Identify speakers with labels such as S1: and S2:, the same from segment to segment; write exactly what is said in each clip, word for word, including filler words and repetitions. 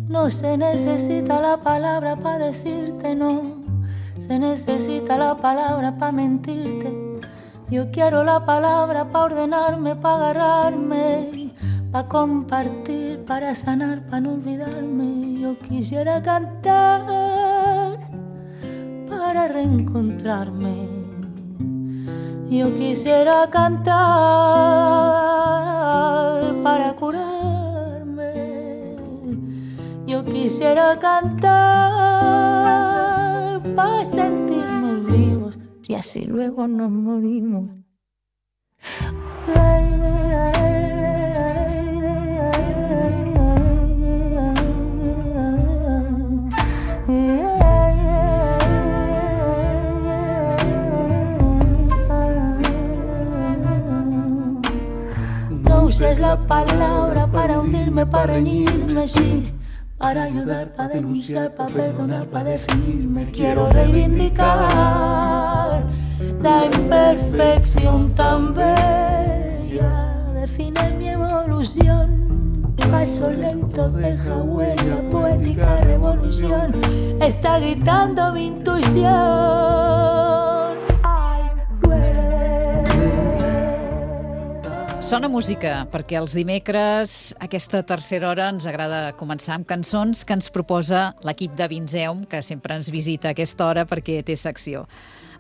S1: No se necesita la palabra para decirte no, se necesita la palabra para mentirte. Yo quiero la palabra para ordenarme, para agarrarme, para compartir, para sanar, para no olvidarme. Yo quisiera cantar para reencontrarme. Yo quisiera cantar para curarme. Yo quisiera cantar para sentirnos vivos y así luego nos morimos. No uses la palabra para hundirme, para reñirme, sí, para ayudar, para denunciar, para perdonar, para definirme. Quiero reivindicar la imperfección tan bella. Define mi evolución, paso lento deja huella, poética revolución. Está gritando mi intuición.
S2: Sona música, perquè els dimecres, aquesta tercera hora, ens agrada començar amb cançons que ens proposa l'equip de Vinzeum, que sempre ens visita a aquesta hora perquè té secció.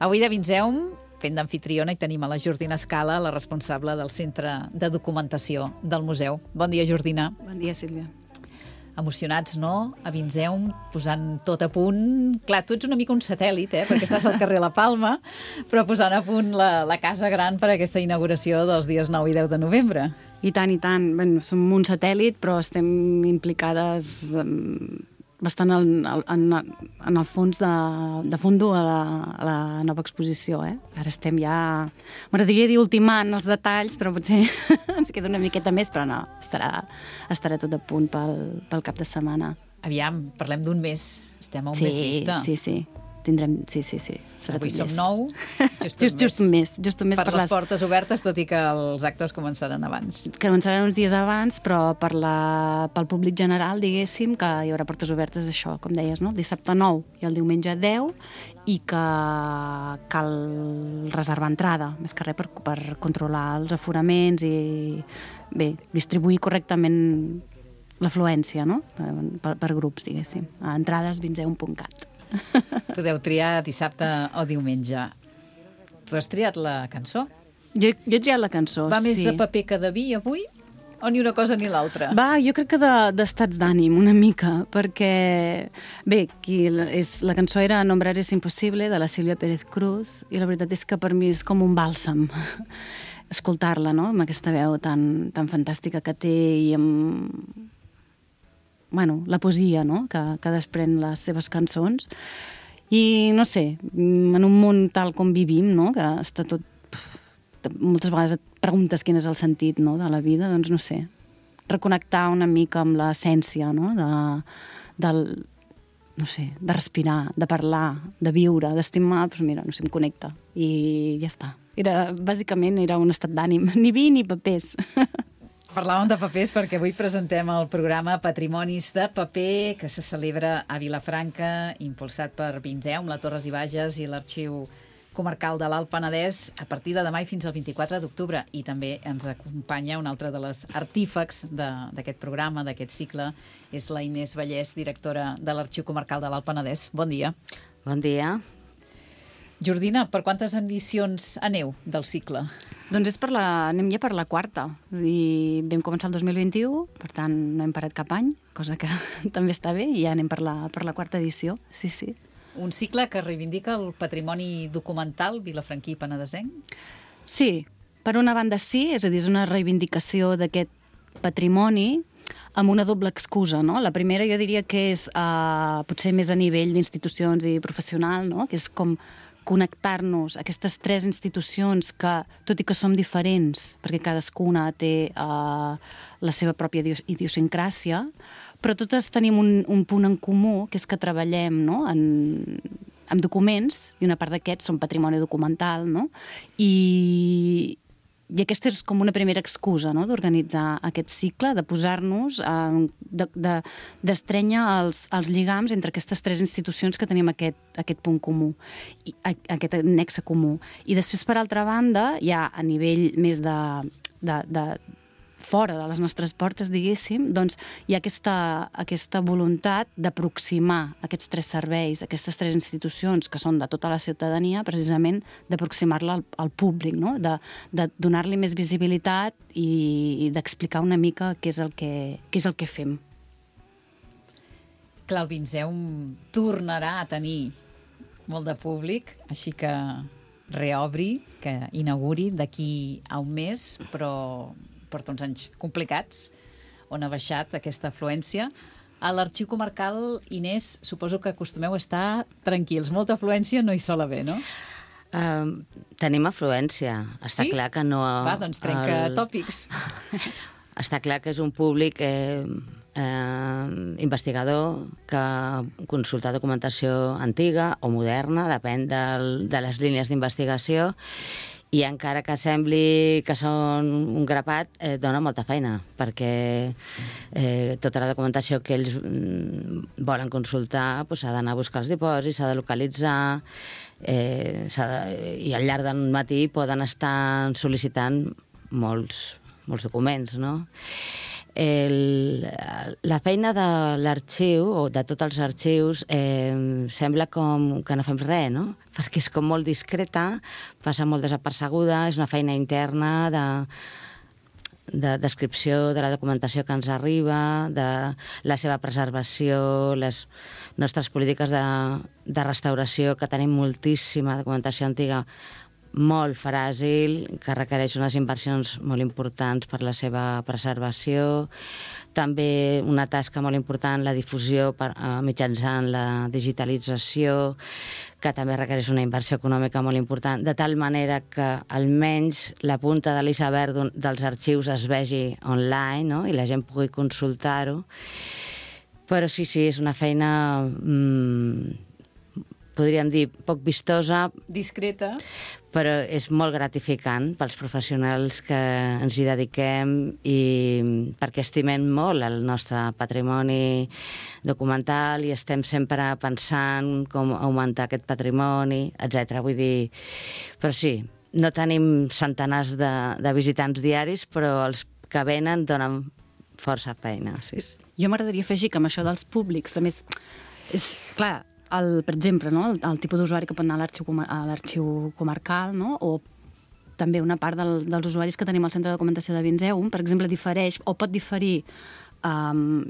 S2: Avui de Vinzeum, fent d'amfitriona, hi tenim a la Jordina Scala, la responsable del Centre de Documentació del Museu. Bon dia, Jordina.
S3: Bon dia, Sílvia.
S2: Emocionats, no? A Vinzeum, posant tot a punt. Clar, tu ets una mica un satèl·lit, eh? Perquè estàs al carrer La Palma, però posant a punt la, la casa gran per a aquesta inauguració dels dies nou i deu de novembre.
S3: I tant, i tant. Bé, som un satèl·lit, però estem implicades um, bastant en, en, en el fons de, de fondo a la, a la nova exposició. Eh? Ara estem ja... M'agradaria dir ultimant els detalls, però potser ens queda una miqueta més, però no, estarà, estarà tot a punt pel, pel cap de setmana.
S2: Aviam, parlem d'un mes. Estem a un
S3: sí,
S2: mes vista.
S3: Sí, sí. Tindrem... Sí, sí, sí. Serà
S2: Avui som
S3: mes.
S2: nou, just,
S3: just, just un mes. Just un mes
S2: per,
S3: per
S2: les
S3: les
S2: portes obertes, tot i que els actes començaran abans.
S3: Començaran uns dies abans, però per la, pel públic general, diguéssim, que hi haurà portes obertes, això, com deies, no? Dissabte nou i el diumenge deu, i que cal reservar entrada, més que res per, per controlar els aforaments i, bé, distribuir correctament l'afluència, no? Per, per grups, diguéssim. A entrades vinzeum punt cat.
S2: Podeu triar dissabte o diumenge. Tu has triat la cançó?
S3: Jo, jo he triat la cançó,
S2: Va
S3: sí.
S2: més de paper que de vi avui? O ni una cosa ni l'altra?
S3: Va, jo crec que d'estats de, d'ànim, una mica, perquè, bé, qui, és, la cançó era Nombrar es imposible, de la Sílvia Pérez Cruz, i la veritat és que per mi és com un bàlsam escoltar-la, no?, amb aquesta veu tan, tan fantàstica que té i amb... bueno, la poesia, no?, que, que desprèn les seves cançons. I, no sé, en un món tal com vivim, no?, que està tot... moltes vegades et preguntes quin és el sentit, no?, de la vida, doncs no sé, reconnectar una mica amb l'essència, no?, de, del, no sé, de respirar, de parlar, de viure, d'estimar, doncs mira, no sé, em connecta. I ja està. Era, bàsicament era un estat d'ànim. Ni vi ni papers.
S2: Parlàvem de papers perquè avui presentem el programa Patrimonis de Paper, que se celebra a Vilafranca, impulsat per Vinzeum, la Torres i Bages i l'Arxiu Comarcal de l'Alt Penedès, a partir de demà i fins al vint-i-quatre d'octubre. I també ens acompanya un altre de les artífex d'aquest programa, d'aquest cicle, és la Inés Vallès, directora de l'Arxiu Comarcal de l'Alt Penedès. Bon dia.
S4: Bon dia.
S2: Jordina, per quantes edicions aneu del cicle?
S3: Doncs és per la, anem ja per la quarta. I vam començar el dos mil vint-i-u, per tant no hem parat cap any, cosa que també està bé, i ja anem per la, per la quarta edició. Sí, sí.
S2: Un cicle que reivindica el patrimoni documental vilafranquí i penedesenc?
S3: Sí, per una banda sí, és a dir, és una reivindicació d'aquest patrimoni amb una doble excusa, no? La primera jo diria que és uh, potser més a nivell d'institucions i professional, no?, que és com connectar-nos a aquestes tres institucions que, tot i que som diferents, perquè cadascuna té uh, la seva pròpia idiosincràsia, però totes tenim un, un punt en comú, que és que treballem, no?, en, en documents, i una part d'aquests són patrimoni documental, no?, i, I aquesta és com una primera excusa, no?, d'organitzar aquest cicle, de posar-nos, eh, d'estrènyer de, els, els lligams entre aquestes tres institucions que tenim aquest, aquest punt comú, i, aquest nexe comú. I després, per altra banda, ja a nivell més de, de, de fora de les nostres portes, diguéssim, doncs hi ha aquesta, aquesta voluntat d'aproximar aquests tres serveis, aquestes tres institucions que són de tota la ciutadania, precisament d'aproximar-la al, al públic, no?, de, de donar-li més visibilitat i, i d'explicar una mica què és el que, què és el que fem.
S2: Clar, el Vinceum tornarà a tenir molt de públic, així que reobri, que inauguri d'aquí a un mes, però porta uns anys complicats, on ha baixat aquesta afluència. A l'Arxiu Comarcal, Inés, suposo que acostumeu a estar tranquils. Molta afluència no hi sol haver, no?
S4: Uh, tenim afluència. Està
S2: sí?
S4: clar que no...
S2: Va, doncs trenca el... tòpics.
S4: Està clar que és un públic eh, eh, investigador que consulta documentació antiga o moderna, depèn del, de les línies d'investigació, i encara que sembli que són un grapat, eh, dona molta feina, perquè eh, tota la documentació que ells mm, volen consultar pues, s'ha d'anar a buscar els dipòsits, s'ha de localitzar, eh, de, i al llarg del matí poden estar sol·licitant molts, molts documents, no? El, la feina de l'arxiu, o de tots els arxius, eh, sembla com que no fem res, no? Perquè és com molt discreta, passa molt desapercebuda, és una feina interna de, de descripció de la documentació que ens arriba, de la seva preservació, les nostres polítiques de, de restauració, que tenim moltíssima documentació antiga, molt fràgil, que requereix unes inversions molt importants per la seva preservació. També una tasca molt important, la difusió per, eh, mitjançant la digitalització, que també requereix una inversió econòmica molt important, de tal manera que almenys la punta de l'iceberg dels arxius es vegi online, no?, i la gent pugui consultar-ho. Però sí, sí, és una feina... Mm, podríem dir, poc vistosa.
S2: Discreta.
S4: Però és molt gratificant pels professionals que ens hi dediquem i perquè estimem molt el nostre patrimoni documental i estem sempre pensant com augmentar aquest patrimoni, etcètera. Vull dir, però sí, no tenim centenars de, de visitants diaris, però els que venen donen força feina. Sí.
S3: Jo m'agradaria afegir que amb això dels públics també és, és clar, el, per exemple, no? el, el tipus d'usuari que pot anar a l'arxiu, a l'arxiu comarcal, no? O també una part del, dels usuaris que tenim al Centre de Documentació de Vinceum, per exemple, difereix o pot diferir, um,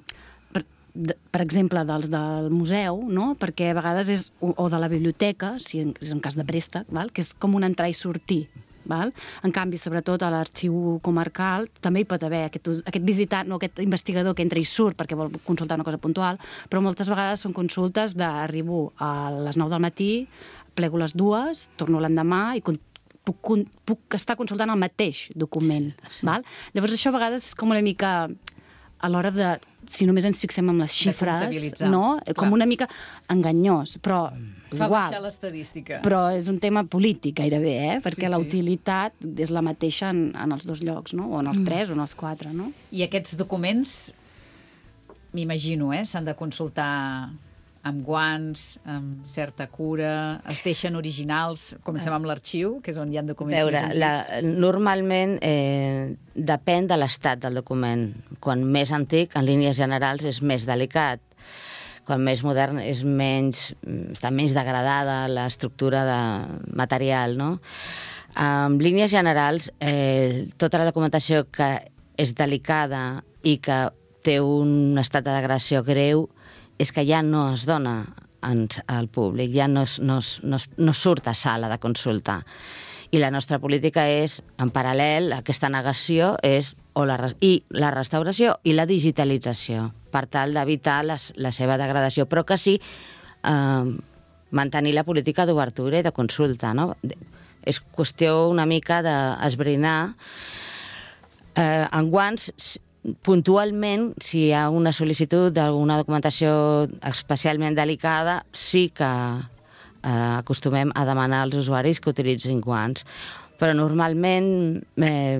S3: per, de, per exemple, dels del museu, no? Perquè a vegades és, o, o de la biblioteca, si en, és en cas de préstec, val? Que és com un entrar i sortir. Val? En canvi, sobretot a l'arxiu comarcal també hi pot haver aquest, aquest visitant, no, aquest investigador que entra i surt perquè vol consultar una cosa puntual, però moltes vegades són consultes d'arribo a les nou del matí, plego les dues, torno l'endemà i puc, puc estar consultant el mateix document. Val? Llavors això a vegades és com una mica a l'hora de, si només ens fixem en les xifres, no? Com una mica enganyós, però
S2: fa
S3: igual.
S2: Baixar l'estadística.
S3: Però és un tema polític gairebé, eh? Perquè
S2: sí,
S3: la
S2: sí.
S3: utilitat és la mateixa en, en els dos llocs, no? O en els mm. tres o en els quatre, no?
S2: I aquests documents, m'imagino, eh? S'han de consultar amb guants, amb certa cura, es deixen originals, comencem amb l'arxiu, que és on hi ha documents
S4: Veure,
S2: més
S4: la,
S2: antics.
S4: normalment eh, depèn de l'estat del document. Quan més antic, en línies generals, és més delicat. Quan més modern és menys, està menys degradada l'estructura de material, no? En línies generals, eh, tota la documentació que és delicada i que té un estat de degradació greu és que ja no es dona al públic, ja no, es, no, es, no, es, no surt a sala de consulta. I la nostra política és, en paral·lel, aquesta negació és o la, i la restauració i la digitalització, per tal d'evitar la seva degradació, però que sí eh, mantenir la política d'obertura i de consulta. No? És qüestió una mica d'esbrinar. Eh, en guants, puntualment, si hi ha una sol·licitud d'alguna documentació especialment delicada, sí que eh, acostumem a demanar als usuaris que utilitzin guants. Però normalment eh,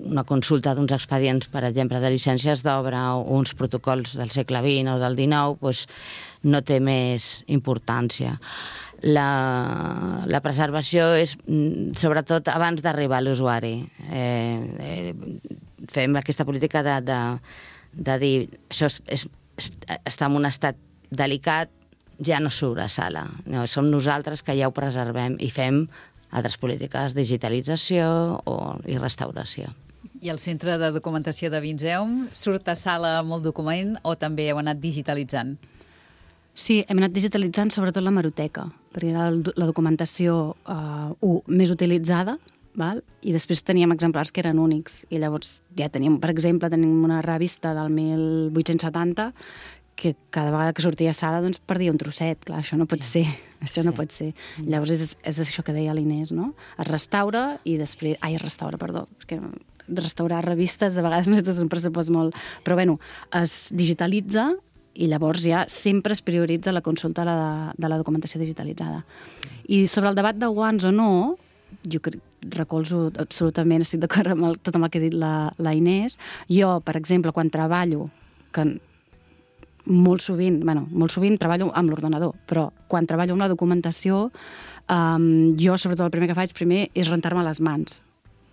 S4: una consulta d'uns expedients, per exemple, de llicències d'obra o uns protocols del segle vint o del dinou, doncs no té més importància. La, la preservació és sobretot abans d'arribar a l'usuari. Eh, eh, fem aquesta política de, de, de dir això és, és, és, està en un estat delicat, ja no sobresala. No, som nosaltres que ja ho preservem i fem altres polítiques, digitalització o, i restauració.
S2: I el Centre de Documentació de Vinzeum surt a sala molt document o també heu anat digitalitzant?
S3: Sí, hem anat digitalitzant sobretot la hemeroteca, perquè era la documentació uh, uh, més utilitzada, val? I després teníem exemplars que eren únics. I llavors ja teníem, per exemple, tenim una revista del mil vuit-cents setanta que cada vegada que sortia a sala doncs, perdia un trosset. Clar, això no pot sí. ser. Això sí. no pot ser. Llavors és, és això que deia l'Inés, no? Es restaura i després... Ai, es restaura, perdó, perquè restaurar revistes a vegades necessites un pressupost molt... Però bueno, es digitalitza i llavors ja sempre es prioritza la consulta de la, de la documentació digitalitzada. I sobre el debat de guants o no, jo crec, recolzo absolutament, estic d'acord amb el, tot amb el que ha dit la, la Inés. Jo, per exemple, quan treballo, que molt sovint, bueno, molt sovint treballo amb l'ordenador, però quan treballo amb la documentació, um, jo sobretot el primer que faig primer és rentar-me les mans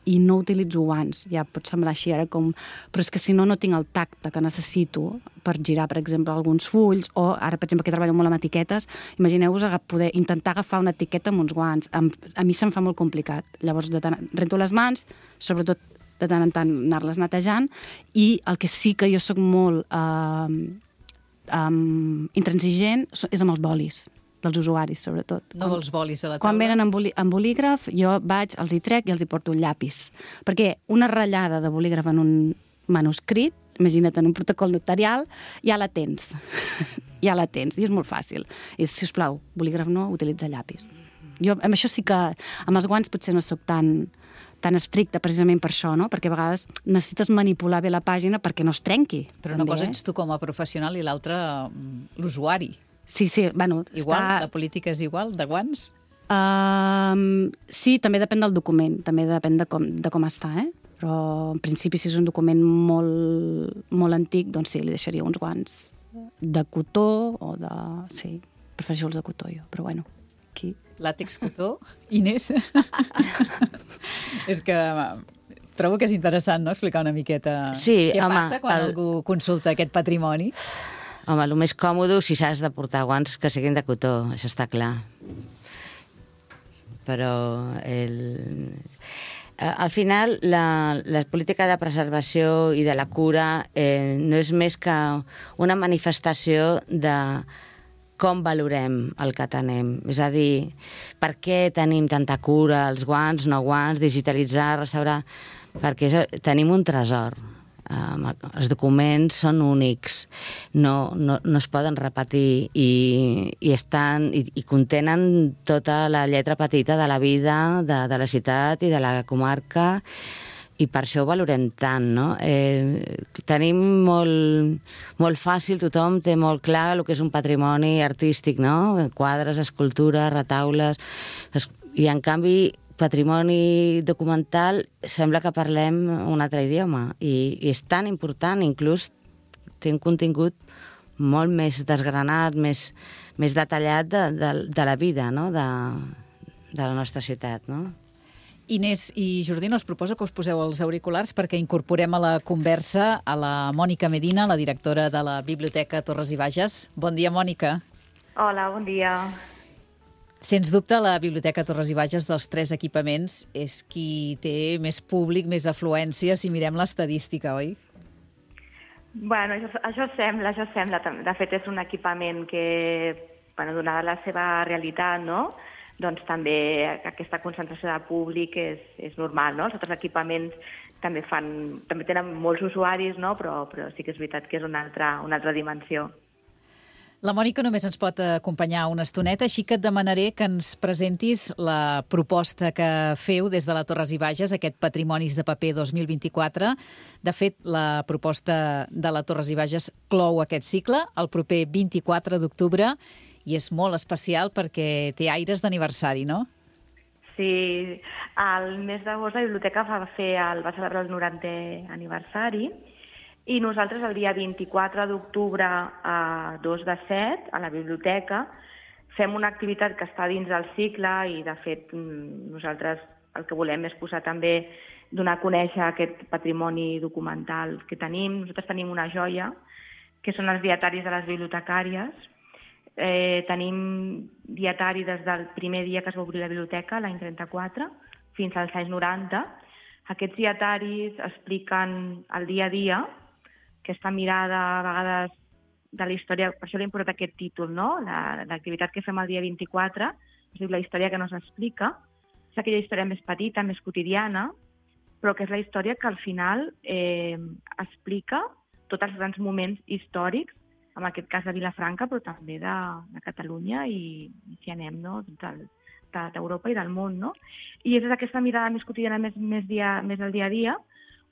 S3: i no utilitzo guants. Ja pot semblar així ara com... Però és que si no, no tinc el tacte que necessito per girar, per exemple, alguns fulls, o ara, per exemple, que treballo molt amb etiquetes, imagineu-vos poder intentar agafar una etiqueta amb uns guants. A, a mi se'm fa molt complicat. Llavors, de tant, rento les mans, sobretot de tant en tant anar-les netejant, i el que sí que jo sóc molt eh, eh, intransigent és amb els bolis dels usuaris, sobretot.
S2: No vols bolis a la taula?
S3: Quan venen amb, boli, amb bolígraf, jo vaig, els hi trec i els hi porto un llapis. Perquè una ratllada de bolígraf en un manuscrit, imagina't, en un protocol notarial, ja la tens. ja la tens, i és molt fàcil. I, si us plau, bolígraf no, utilitza llapis. Jo, amb això sí que, amb els guants potser no sóc tan, tan estricta, precisament per això, no? Perquè a vegades necessites manipular bé la pàgina perquè no es trenqui.
S2: Però una cosa ets tu com a professional i l'altra l'usuari.
S3: Sí, sí, bueno...
S2: Igual?
S3: Està...
S2: La política és igual, de guants?
S3: Uh, sí, també depèn del document, també depèn de com, de com està, eh? Però en principi si és un document molt, molt antic, doncs sí, li deixaria uns guants de cotó o de... Sí, prefereixo els de cotó jo, però bueno, aquí...
S2: Làtex cotó? Inés? És que trobo que és interessant, no?, explicar una miqueta
S4: sí,
S2: què
S4: home,
S2: passa quan
S4: el...
S2: algú consulta aquest patrimoni.
S4: Home, el més còmode, si s'has de portar guants, que siguin de cotó, això està clar. Però el... al final la, la política de preservació i de la cura eh, no és més que una manifestació de com valorem el que tenim. És a dir, per què tenim tanta cura, els guants, no guants, digitalitzar, restaurar... Perquè és, tenim un tresor. Um, els documents són únics, no, no, no es poden repetir i, i, estan, i, i contenen tota la lletra petita de la vida de, de la ciutat i de la comarca, i per això ho valorem tant, no? Eh, tenim molt, molt fàcil, tothom té molt clar el que és un patrimoni artístic, no? Quadres, escultures, retaules, i en canvi patrimoni documental sembla que parlem un altre idioma i, i és tan important, inclús té un contingut molt més desgranat, més, més detallat de, de, de la vida, no?, de, de la nostra ciutat, no?
S2: Inés i Jordino, us proposo que us poseu els auriculars perquè incorporem a la conversa a la Mònica Medina, la directora de la Biblioteca Torres i Bages. Bon dia, Mònica.
S5: Hola, bon dia.
S2: Sens dubte, la Biblioteca Torres i Bages dels tres equipaments és qui té més públic, més afluència, si mirem l'estadística, oi?
S5: Bueno, això, això sembla, això sembla. De fet, és un equipament que, bueno, donada la seva realitat, no?, doncs també aquesta concentració de públic és, és normal, no? Els altres equipaments també fan, també tenen molts usuaris, no?, però, però sí que és veritat que és una altra, una altra dimensió.
S2: La Mònica només ens pot acompanyar una estoneta, així que et demanaré que ens presentis la proposta que feu des de la Torres i Bages, aquest Patrimonis de Paper dos mil vint-i-quatre. De fet, la proposta de la Torres i Bages clou aquest cicle el proper vint-i-quatre d'octubre i és molt especial perquè té aires d'aniversari, no?
S5: Sí, al mes d'agost la biblioteca va, fer el, va celebrar el norantè aniversari i nosaltres el dia vint-i-quatre d'octubre a dos de set a la biblioteca fem una activitat que està dins del cicle i, de fet, nosaltres el que volem és posar també, donar a conèixer aquest patrimoni documental que tenim. Nosaltres tenim una joia, que són els dietaris de les bibliotecàries. Eh, tenim dietari des del primer dia que es va obrir la biblioteca, l'any trenta-quatre, fins als anys noranta. Aquests dietaris expliquen el dia a dia, aquesta mirada a vegades de la història, per això li hem posat aquest títol, no? L'activitat que fem el dia vint-i-quatre, es diu La història que no s'explica, és aquella història més petita, més quotidiana, però que és la història que al final eh, explica tots els grans moments històrics, en aquest cas de Vilafranca, però també de, de Catalunya i, si anem, no? d'Europa i del món, no? I és aquesta mirada més quotidiana, més, més, dia, més al dia a dia,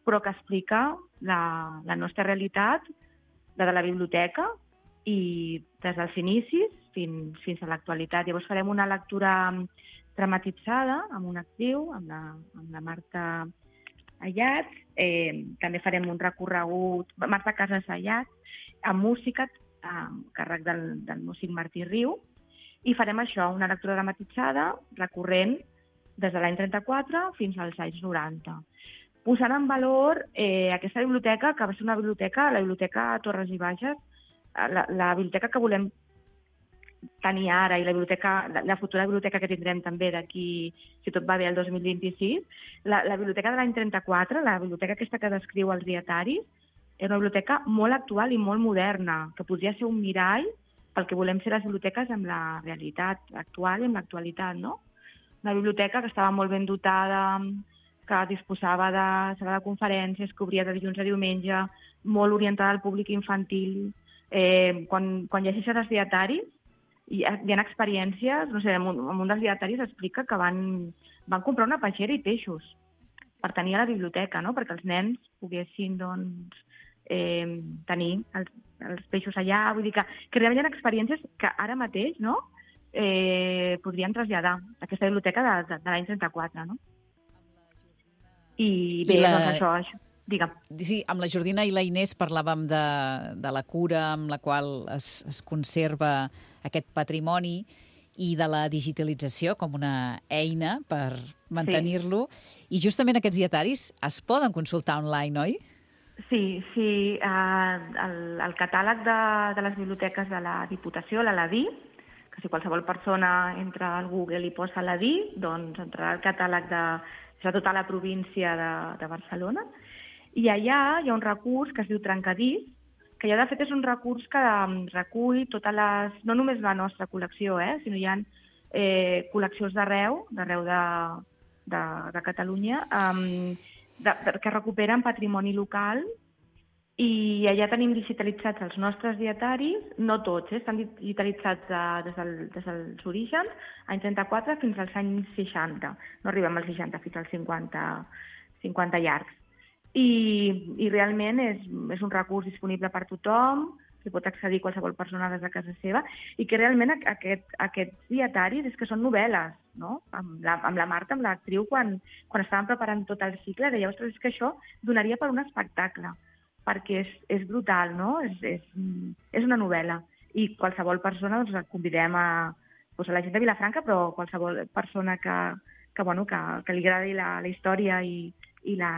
S5: però que explica la, la nostra realitat, la de la biblioteca, i des dels inicis fins, fins a l'actualitat. Llavors farem una lectura dramatitzada amb una actriu, amb la, amb la Marta Ayats. Eh, també farem un recorregut, Marta Casas Ayats, amb música, amb càrrec del, del músic Martí Riu, i farem això, una lectura dramatitzada recorrent des de l'any trenta-quatre fins als anys noranta. Posant en valor eh, aquesta biblioteca, que va ser una biblioteca, la biblioteca Torres i Bages, la, la biblioteca que volem tenir ara i la, biblioteca, la, la futura biblioteca que tindrem també d'aquí, si tot va bé, el dos mil vint-i-sis, la, la biblioteca de l'any trenta-quatre, la biblioteca aquesta que descriu els dietaris, és una biblioteca molt actual i molt moderna, que podria ser un mirall pel que volem ser les biblioteques amb la realitat actual i amb l'actualitat, no? Una biblioteca que estava molt ben dotada, que disposava de sala de conferències, que obria de dilluns a diumenge, molt orientada al públic infantil. Eh, quan, quan llegeixes els dietaris, hi ha, hi ha experiències, no sé, en un, en un dels dietaris explica que van, van comprar una peixera i peixos per tenir a la biblioteca, no? Perquè els nens poguessin, doncs, eh, tenir els, els peixos allà. Vull dir que, que realment hi ha experiències que ara mateix, no?, eh, podrien traslladar a aquesta biblioteca de, de, de l'any trenta-quatre, no? I bé, I la... doncs això, això, digue'm.
S2: Sí, amb la Jordina i la Inés parlàvem de, de la cura amb la qual es, es conserva aquest patrimoni i de la digitalització com una eina per mantenir-lo. Sí. I justament aquests dietaris es poden consultar online, oi?
S5: Sí, sí. Uh, el, el catàleg de, de les biblioteques de la Diputació, la LADI, que si qualsevol persona entra al Google i posa LADI, doncs entrarà al catàleg de de tota la província de, de Barcelona, i allà hi ha un recurs que es diu Trencadís, que ja de fet és un recurs que recull totes les, no només la nostra col·lecció, eh, sinó hi ha eh, col·leccions d'arreu, d'arreu de, de, de Catalunya, um, de, de, que recuperen patrimoni local, i allà tenim digitalitzats els nostres dietaris, no tots, eh, estan digitalitzats de, des, del, des dels orígens, anys trenta-quatre fins als anys seixanta. No arribem als seixanta, fins als cinquanta, cinquanta llargs. I, i realment és, és un recurs disponible per tothom, que pot accedir qualsevol persona des de casa seva, i que realment aquest, aquests dietaris és que són novel·les, no? Amb la, amb la Marta, amb l'actriu, quan, quan estàvem preparant tot el cicle, deia, ostres, és que això donaria per un espectacle, perquè és, és brutal, no? És, és, és una novel·la. I qualsevol persona, doncs, el convidem a, doncs, a la gent de Vilafranca, però qualsevol persona que, que, bueno, que, que li agradi la, la història i, i la,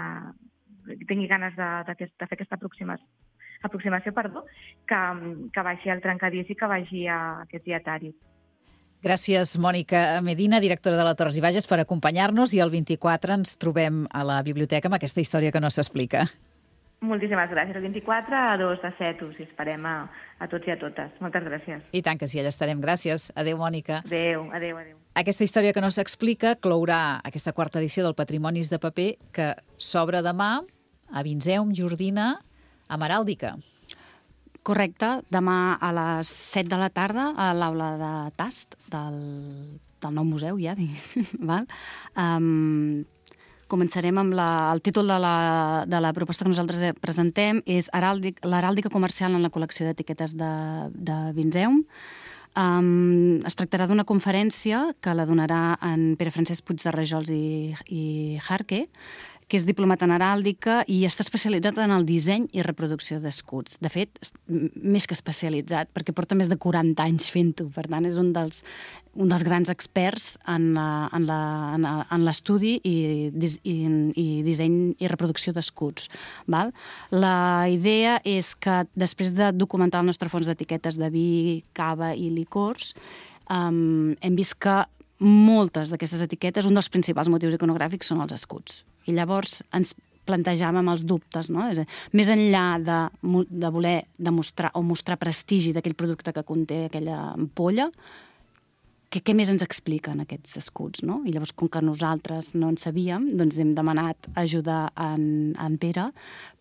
S5: que tingui ganes de, de, de fer aquesta aproximació, aproximació perdó, que, que vagi al Trencadís i que vagi a aquest dietari.
S2: Gràcies, Mònica Medina, directora de la Torres i Bages, per acompanyar-nos, i el vint-i-quatre ens trobem a la biblioteca amb aquesta història que no s'explica.
S5: Moltíssimes gràcies. El vint-i-quatre a dos de set us esperem a, a tots i a totes. Moltes gràcies.
S2: I tant que sí, allà estarem. Gràcies. Adéu, Mònica.
S5: Adéu, adéu, adéu.
S2: Aquesta història que no s'explica clourà aquesta quarta edició del Patrimonis de Paper, que s'obre demà a Vinzeum, Jordina, amb heràldica.
S3: Correcte. Demà a les set de la tarda a l'aula de tast del, del nou museu, ja, diguéssim. Val? Um, Començarem amb la, el títol de la, de la proposta que nosaltres presentem, és l'heràldica comercial en la col·lecció d'etiquetes de, de Vinzeum. Um, es tractarà d'una conferència que la donarà en Pere Francesc Puig de Rajols i, i Jarque, que és diplomat en heràldica i està especialitzat en el disseny i reproducció d'escuts. De fet, més que especialitzat, perquè porta més de quaranta anys fent-ho. Per tant, és un dels, un dels grans experts en la- en la- en la- en l'estudi i, dis- i, i disseny i reproducció d'escuts. Val? La idea és que després de documentar el nostre fons d'etiquetes de vi, cava i licors, um, hem vist que moltes d'aquestes etiquetes, un dels principals motius iconogràfics són els escuts. I llavors ens plantejàvem els dubtes, no? És a dir, més enllà de, mo- de voler demostrar o mostrar prestigi d'aquell producte que conté aquella ampolla, què, què més ens expliquen aquests escuts, no? I llavors, com que nosaltres no en sabíem, doncs hem demanat ajudar en, en Pere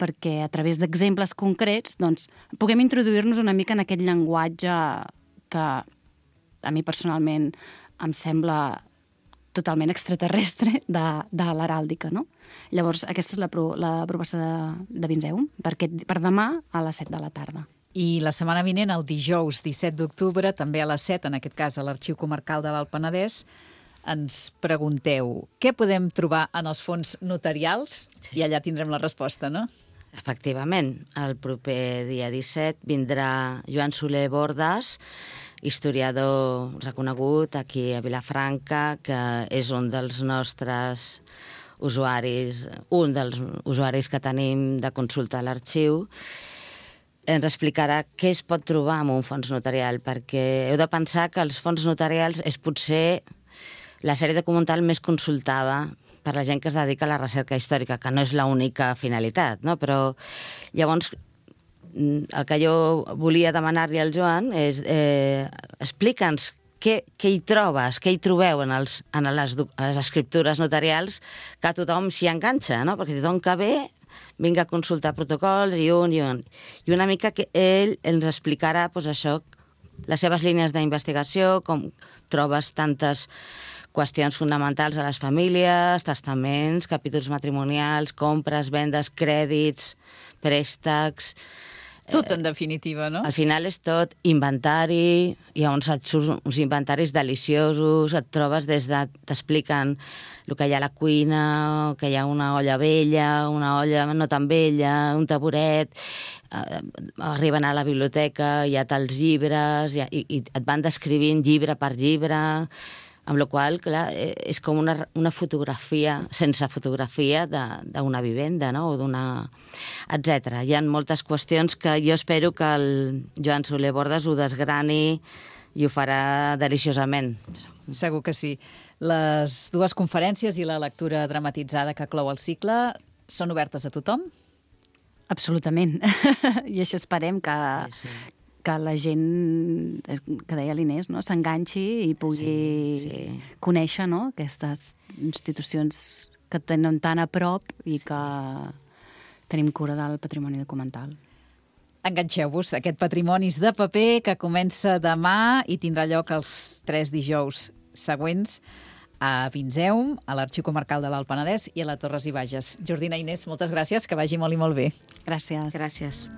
S3: perquè a través d'exemples concrets doncs, puguem introduir-nos una mica en aquest llenguatge que a mi personalment em sembla totalment extraterrestre de, de l'heràldica, no? Llavors, aquesta és la, pro, la proposta de, de Vinzeum, per, aquest, per demà a les set de la tarda.
S2: I la setmana vinent, el dijous disset d'octubre, també a les set, en aquest cas a l'Arxiu Comarcal de l'Alt Penedès, ens pregunteu què podem trobar en els fons notarials i allà tindrem la resposta, no?
S4: Efectivament, el proper dia disset vindrà Joan Soler Bordas, historiador reconegut aquí a Vilafranca, que és un dels nostres usuaris, un dels usuaris que tenim de consulta a l'arxiu. Ens explicarà què es pot trobar en un fons notarial, perquè heu de pensar que els fons notarials és potser la sèrie documental més consultada per la gent que es dedica a la recerca històrica, que no és l'única finalitat, no? Però llavors el que jo volia demanar-li al Joan és eh, explica'ns què, què hi trobes, què hi trobeu en, els, en les, les escriptures notarials que tothom s'hi enganxa, no? Perquè tothom que ve vinga a consultar protocols i un i un. I una mica que ell ens explicarà doncs, això, les seves línies d'investigació, com trobes tantes qüestions fonamentals a les famílies, testaments, capítols matrimonials, compres, vendes, crèdits, préstecs...
S2: Tot, en definitiva, no?
S4: Al final és tot inventari, hi ha uns, uns inventaris deliciosos, et trobes des de... t'expliquen el que hi ha a la cuina, que hi ha una olla vella, una olla no tan vella, un taburet, eh, arriben a la biblioteca, hi ha tals llibres, i, i, i et van descrivint llibre per llibre, amb la qual cosa, clar, és com una, una fotografia, sense fotografia d'una vivenda, no? O d'una... etcètera. Hi ha moltes qüestions que jo espero que el Joan Soler Bordas ho desgrani i ho farà deliciosament.
S2: Segur que sí. Les dues conferències i la lectura dramatitzada que clou el cicle són obertes a tothom?
S3: Absolutament. I això esperem que...
S4: Sí, sí.
S3: que la gent, que deia l'Inés, no? S'enganxi i pugui
S4: Sí, sí.
S3: conèixer, no? Aquestes institucions que tenen tan a prop i que tenim cura del patrimoni documental.
S2: Enganxeu-vos a aquest Patrimonis de paper que comença demà i tindrà lloc els tres dijous següents a Vinzeum, a l'Arxiu Comarcal de l'Alt Penedès i a la Torres i Bages. Jordina i Inés, moltes gràcies, que vagi molt i molt bé.
S3: Gràcies.
S4: Gràcies.